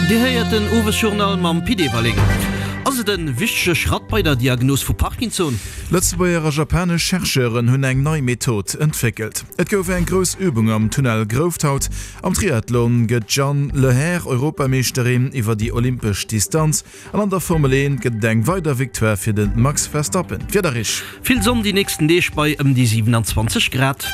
Dir héiert den Owesjournal mam Pit Everling. Ass et en wichtege Schratt bei der Diagnos vu Parkinson? Lëtzebuerger a japanesch Chercheuren hunn eng nei Method entwéckelt. Et gouf eng grouss Übung am Tunnel Grouft haut. Am Triathlon gëtt d'Jeanne Lehair Europameeschterin iwwer déi olympesch Distanz. An an der Formel 1 gëtt et eng weider Victoire fir de Max Verstappen. D'Wieder Rich. Vill Sonn déi nächsten Deeg bei ëm déi 27 Grad.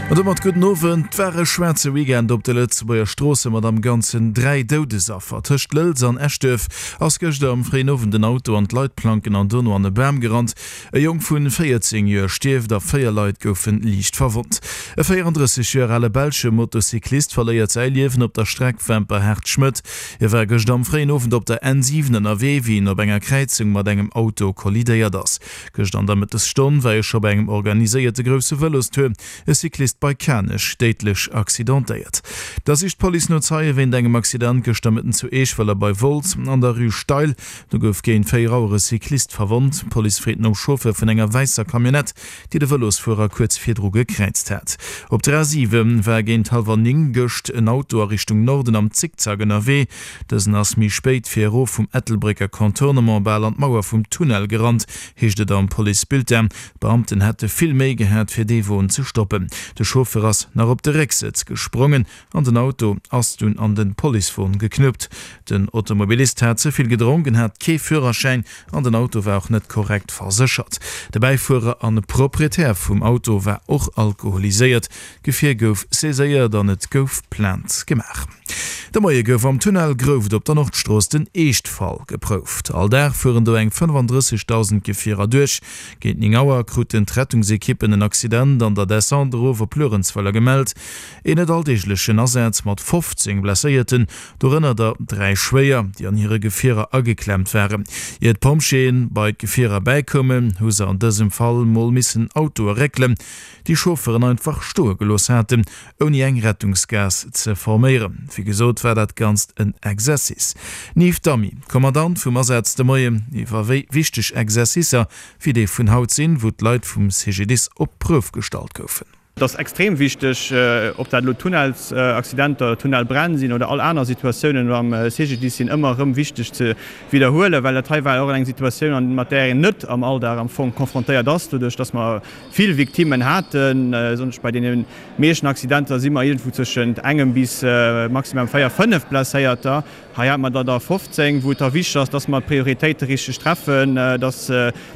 An domat gudden Owend. 't war e schwaarze Weekend op de Lëtzebuerger Stroosse mat am Ganzen 3 Doudesaffer. Tëscht Lëlz an Eschduerf ass gëschter am fréien Owend en Auto an d'Leitplanken an dono an e Bam gerannt. E Jong vun 14 Joer stierft a 4 Leit goufen liicht verwonnt. E 34 Joer ale belsche Motocyclist verléiert säi Liewen op der Streck Wemperhaart-Schmëtt. Hie war gëscht am fréien Owend op der N7 ënnerwee, wéi en op enger Kräizung mat engem Auto kollidéiert ass. Gëscht an der Mëttesstonn war e scho bei engem organiséierte grousse Vëlostour e Cyclist bei Kanech déidlech accidentéiert. Da sicht d'Police no Zeie wéint engem Accident gëschter Mëtten zu Eeschwëller bei Wolz an der Rue Steil. Do gouf géint 4 Auer e Cyclist verwonnt. D'Police freet nom Chauffeur vun enger wäisser Camionnette, déi de Vëlosfuerer kuerz virdru gekräizt hat. Op der A7 war géint hallwer 9 gëscht en Auto a Richtung Norden am Zickzack ënnerwee. Dësen ass méi spéit fir erof vum Ettelbrécker Contournement bal an d'Mauer vum Tunnel gerannt, heescht et am Policebulletin. D'Beamten hätte vill Méi gehat, fir dee Won ze stoppen. De Chauffeur ass nach op de Récksëtz gesprongen an den Auto ass dunn an de Policewon geknuppt. Den Automobilist hat ze vill gedronken, hat kee Führerschäin an den Auto war och net korrekt verséchert. De Bäifuerer an Proprietär vum Auto war och alkoholiséiert. D'Gefier gouf saiséiert an et gouf Plainte gemaach. De Moie gouf am Tunnel Grouft op der Nordstrooss den Eeschtfall geprouft. All Dag fueren do eng 35.000 Gefierer duerch. Géint 9 Auer kruten d'Rettungsekippen en Accident an der Descente erof op Luerenzweiler gemellt. Een net alldeeglechen Asaz mat 15 Blesséierten, dorënner der 3 schwéier, déi an hire Gefierer ageklemmt waren. Ier d'Pompjeeë bei d'Gefierer bäikoumen, hu se an dësem Fall mol missen Autoe réckelen, déi Chauffeuren einfach stoe gelooss haten, ouni eng Rettungsgaass ze forméieren. Wéi gesot war dat Ganzt en Exercice. Nieft Damy, Kommandant vum Asaz de Moien, iwwer wéi wichteg Exercicer wéi dee vun haut sinn, wou d'Leit vum CGDIS op d'Prouf gestallt goufen. Et ass extrem wichteg, ob dat elo Tunnelsaccidenter, Tunnelbränn sinn oder all aner Situatiounen am CGDIS sinn ëmmer erëm wichteg ze widderhuelen, well dat hei war och eng Situatioun, mat där een net am Alldag am Fong confrontéiert ass, doduerch dass mer vill Victimmen haten. Besonnesch bei deene meeschten Accidenter si mer iergendwou tëschent engem bis maximum véier, fënnef Blesséierter. Hei hate mer der der 15, wou et da wichteg ass, dass mer d'Prioritéite richteg treffen, dass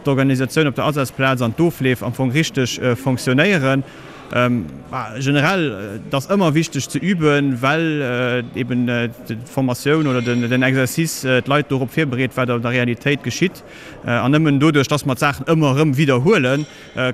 d'Organisatioun op der Asazplaz an d'Ofleef am Fong richteg fonctionnéieren. Generell, et ass ëmmer wichteg ze üben, well eben d'Formatioun oder den Exercice d'Leit dorop virbereet, wat an der Realitéit geschitt. An nëmmen doduerch, dass mer d'Saachen ëmmer erëm widderhuelen,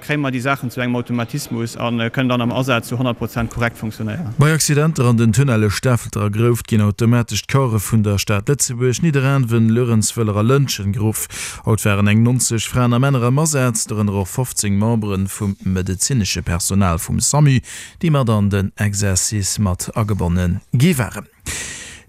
kréie mer déi Saachen zu engem Automatismus a kënnen dann am Asaz zu 100 Prozent korrekt funktionéieren. Bei Accidenter an den Tunnelle Stafelter a Grouft ginn automatesch d'Corpse vun der Stad Lëtzebuerg, Nidderaanwen, Luerenzwëller a Lëntgen geruff. Haut waren eng 90 Fraen a Männer am Asaz, dorënner och 15 Membere vum medezinesche Personal vum SAMU, déi mat an den Exercice mat agebonne gi waren.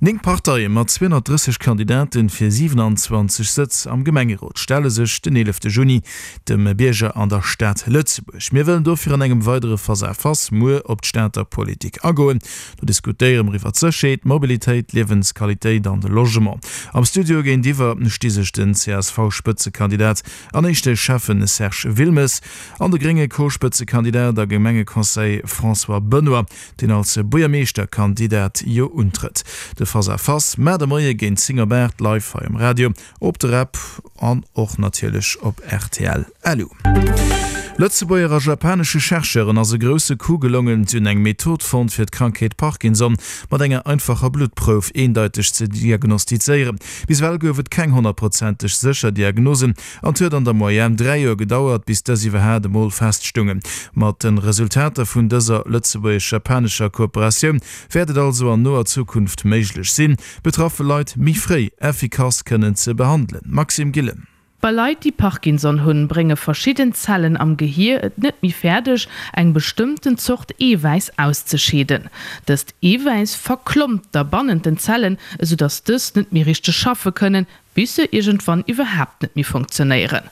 Néng Parteie mat 230 Kandidaten fir 27 Sëtz am Gemengerot stelle sech den 11 Juni dem Bierger an der Stad Lëtzebuerg. Mir wëllen dofir an engem weidere Face à Face muer op d'Stater Politik agoen. Do diskutéiere mer iwwer d'Sécherheet, d'Mobilitéit, d'Liewensqualitéit an de Logement. Am Studio géintiwwer sti sech den CSV-Spëtzekandidat an éischte Schäffen Serge Wilmes an de grénge Co-Spëtzekandidat a Gemengeconseiller François Benoy. deen als Buergermeeschterkandidat jo untrëtt. De Face à Face mar de Moie géint 10 op 8 live hei um Radio, op der App an och natierlech op rtl LU. Lëtzebuerger a japanesche Chercheuren ass e grousse Coup gelongen. Si hunn eng Method fonnt, fir d'Krankheet Parkinson mat enger einfacher Bluttprouf eendeiteg ze diagnostizéieren. Bis ewell gouf et keng honnertprozenteg sécher Diagnose An et huet an der Moyenne 3 Joer gedauert, bis dës iwwerhaat emol feststungen. Mat de Resultater vun dëser lëtzebuergesch-japanescher Kooperatioun wäert et also an noer Zukunft méiglech sinn, betraffe Leit méi fréi effikass kënnen ze behandelen. Maxime Gillen. Bei Leit, déi Parkinson hunn, brénge verschidden Zellen am Gehier et net méi fäerdeg, eng bestëmmten Zort Eewäiss auszescheeden. Dëst Eewäiss verklompt da bannent den Zellen, esou datt dës net méi richteg schaffe kënnen. Bis se iergendwann iwwerhaapt net méi funktionéieren.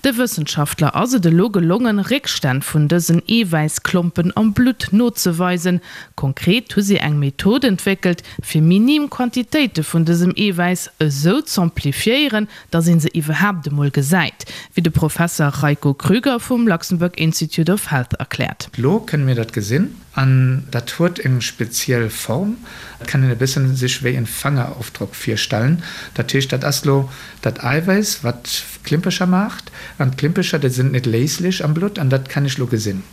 De Wëssenschaftler ass et elo gelongen, Réckstänn vun dësen Eewäissklompen am Blutt nozeweisen. Konkret hu si eng Method entwéckelt, fir minim Quantitéite vun dësem Eewäiss esou z'amplifiéieren, datt ee se iwwerhaapt emol gesäit, wéi de Professer Rajko Krüger vum Luxembourg Institute of Health erkläert. Lo kënne mir dat gesinn. An dat huet eng speziell Form, et kann een e bëssen sech wéi en Fangerofdrock virstellen. Dat heescht, dat ass lo dat Eiwäiss, wat Klimpercher maacht, an d'Klimpercher, déi sinn net léislech am Blutt, an dat kann ech lo gesinn.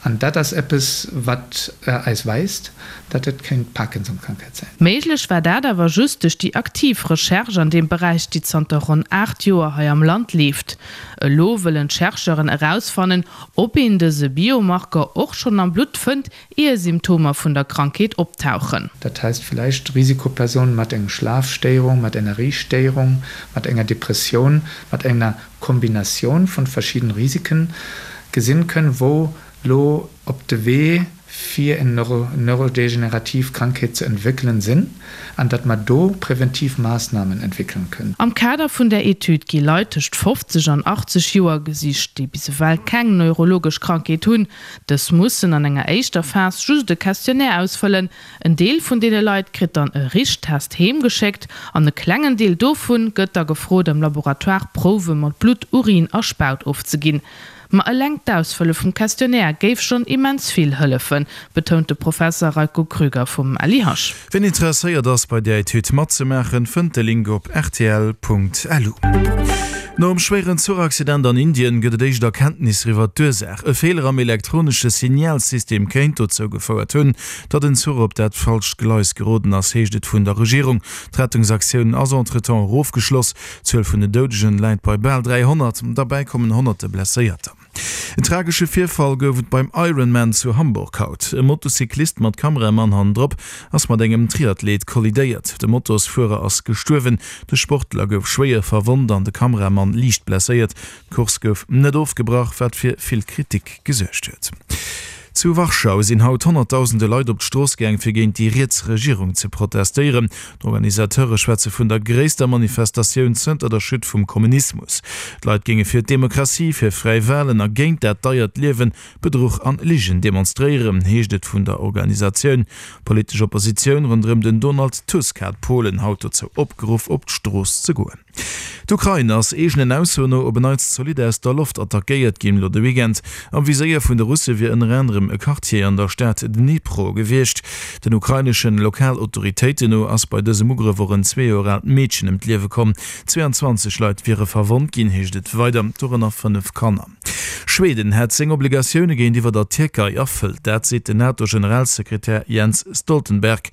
An dat ass eppes, wat eis weist, datt et kéint Parkinson-Krankheit sinn. Méiglech war dat awer just duerch déi aktiv Recherche an deem Beräich, déi zanter ronn 8 Joer hei am Land leeft. Elo wëllen d'Chercheuren erausfannen, Ob een dëse Biomarker och schonn am Blutt fënnt, ier Symptomer vun der Krankheet optauchen. Dat heisst vielleicht Risikopersonen mat enger Schlafstéierung, mat enger Riechstéierung, mat enger Depressioun, mat enger Kombinatioun vun verschidden Risiken gesinn kënnen, wou lo op de Wee fir eng neurodegenerativ Krankheet ze entwéckelen sinn an datt mer do präventiv Maßnahmen entwéckelen kënnen. Am Kader vun där Etüd gi Leit tëscht 50 an 80 Joer gesicht, déi bis ewell keng neurologesch Krankheet hunn. Dës mussen an enger éischter Phas just e Questionnaire ausfëllen. En Deel vun deene Leit kritt dann e Richtest heem geschéckt an e klengen Deel dovu gëtt da gefrot, am Laboratoire Prouwe mat Blutt, Urin a Spaut ofzeginn. Ma eleng d'Ausfëlle vum Questionnaire géif schonn immens vill hëllefen, betount de Professer Rajko Krüger vum LIH. Wien interesséiert ass bei där Etüd matzemaachen, fënnt de Link op rtl.lu. Nom schwéieren Zuchaccident an Indien gëtt et éischt Erkenntnisser iwwer d'Ursaach. E Feeler am elektronesche Signalsystem kéint dozou gefouert hunn, datt en Zuch op dat falscht Gleis geroden ass, heescht et vun der Regierung. D'Rettungsaktioun ass entretemps erofgeschloss. D'Zuel vun den Doudegen läit bei bal 300, derbäi kommen honnerte Blesséierter. En tragesche Virfall gouf et beim Ironman zu Hamburg haut. E Motocyclist mat Kameramann hannendrop ass mat engem Triathlet kollidéiert. De Motosfuerer ass gestuerwen, de Sportler gouf schwéier verwonnt an de Kameramann liicht blesséiert. D'Course gouf net ofgebrach, wat fir vill Kritik gesuergt huet. Zu Warschau sinn haut honnertdausende Leit op d'Strooss gaang, fir géint déi riets Regierung ze protestéieren. D'Organisateure schwätze vun der gréisster Manifestatioun zënter der Chute vum Kommunismus. D'Leit géinge fir d'Demokratie, fir fräi Walen a géint dat deiert Liewen, Bedruch an Ligen demonstréieren, heescht et vun der Organisatioun. D'politesch Oppositioun ronderëm den Donald Tusk hat Polen haut dozou opgeruff, op d'Strooss ze goen. D'Ukrain ass eegenen Aussoen no op en Neits zolidd aus der Loft attackéiert ginn. Lo de Weekend am Viséier vun de Russe wier ënner anerem e Quartier an der Stad Dnipro gewiescht. Den ukraineschen Lokalautoritéiten no ass bei dësem Ugrëff och en 2 Joer aalt Meedchen ëm d'Liewe komm. 22 Leit wiere verwonnt ginn, heescht et weider, dorënner 5 Kanner. Schweden hätt seng Obligatioune géintiwwer der Tierkei erfëllt, dat seet den NATO-Generalsekretär Jens Stoltenberg.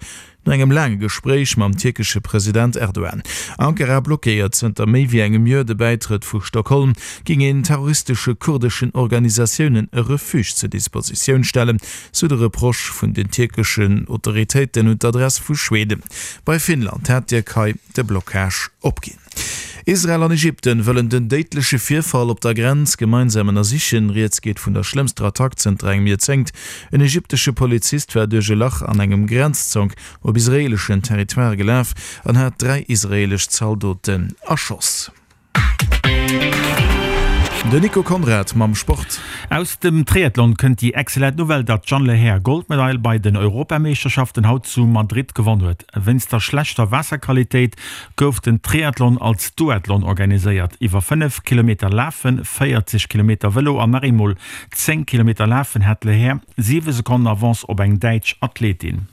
No engem laange Gespréich mam tierkesche President Erdogan, Ankara blockéiert zënter méi wéi engem Joer de Bäitrëtt vu Stockholm, géing een terroristesche kurdeschen Organisatiounen e Refuge zur Dispositioun stellen, sou de Reproche vun den tierkeschen Autoritéiten un d'Adress vu Schweden. Bei Finnland hat d'Tierkei de Blockage opginn. Israel an Ägypten wëllen den déidleche Virfall op der Grenz gemeinsam ënnersichen. Rieds geet vun der schlëmmster Attack zënter engem Joerzéngt. En ägyptesche Polizist war duerch e Lach an engem Grenzzonk op israeeleschen Territoire gelaf an hat 3 israeelesch Zaldoten erschoss. Den Nico Conrad mam Sport. Aus dem Triathlon kënnt déi excellent Nouvelle, datt d'Jeanne Lehair Goldmedail bei den Europameeschterschaften haut zu Madrid gewonn huet. Wéinst der schlechter Waasserqualitéit gouf den Triathlon als Duathlon organiséiert. Iwwer 5 Kilometer Lafen, 40 Kilometer Vëlo an nach eemol 10 Kilometer Lafen hat d'Lehair 7 Sekonnen Avance op eng däitsch Athletin.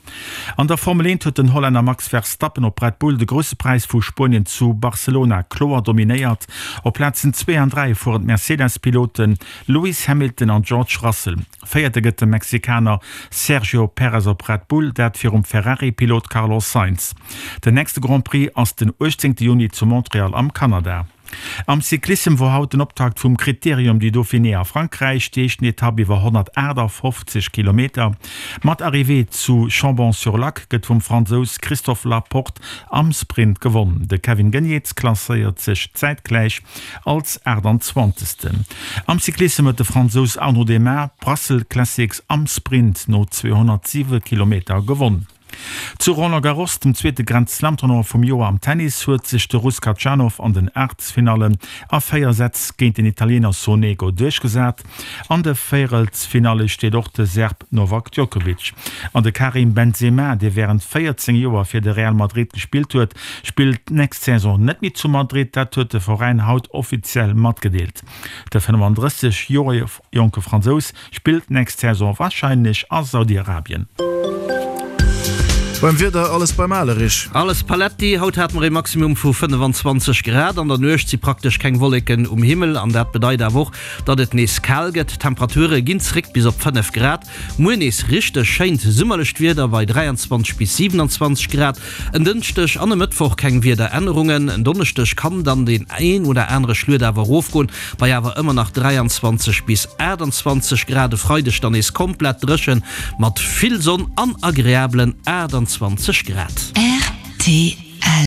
An der Formel 1 huet den Hollänner Max Verstappen op Red Bull de Grousse Präis vu Spuenien zu Barcelona kloer dominéiert. Op Plazen 2 an 3 fueren d'Mercedes-Pilote Lewis Hamilton an George Russell. Véierte gëtt de Mexikaner Sergio Perez op Red Bull, dat virum Ferrari-Pilot Carlos Sainz. Den nächste Grand Prix ass den 18 Juni zu Montreal am Kanada. Am Cyclissem wor haut den Optakt vum Critérium du Dauphiné a Frankräich, déi éischten Etapp iwwer 158 Kilometer mat Arrivée zu Chambon-sur-Lac gëtt vum Fransous Christophe Laporte am Sprint gewonn. De Kevin Geniets klasséiert sech zäitgläich Als 28. Am Cyclissem huet de Fransous Arnaud Démare d'Brussels Classics am Sprint no 207 Kilometer gewonn. Zu Roland Garros, dem zweete Grand Slam Tournoi vum Joer am Tennis, huet sech de Russ Khachanov an den Aachtelsfinallen a 4 Sätz géint den Italiener Sonego duerchgesat. An de Véierelsfinalle steet och de Serb Novak Djokovic. An de Karim Benzema, dee wärend 14 Joer fir de Real Madrid gespillt huet, spillt d'nächst Saison net méi zu Madrid. Dat huet de Veräin haut offiziell matgedeelt. De 35 Joer jonke Fransous Spillt nächst Saison wahrscheinlech a Saudi-Arabien. Beim Wieder alles beim Ale, Rich. Alles paletti, haut hate mer ee Maximum vu 25 Grad, an der Nuecht si praktesch keng Wolleken um Himmel an dat bedeit awer och, datt et nees kal gëtt. D'Temperature ginn zréck bis op 5 Grad. Muer nees richteg schéint summerlecht Wieder bei 23 bis 27 Grad. En Dënschdeg an e Mëttwoch keng Wiederännerungen. En Donneschdeg kann dann deen een oder anere Schluet awer erofgoen, bei awer ëmmer nach 23 bis 28 Grad. E Freideg dann nees komplett dréchen mat vill Sonn an agreablen 28 Grad. Rtl.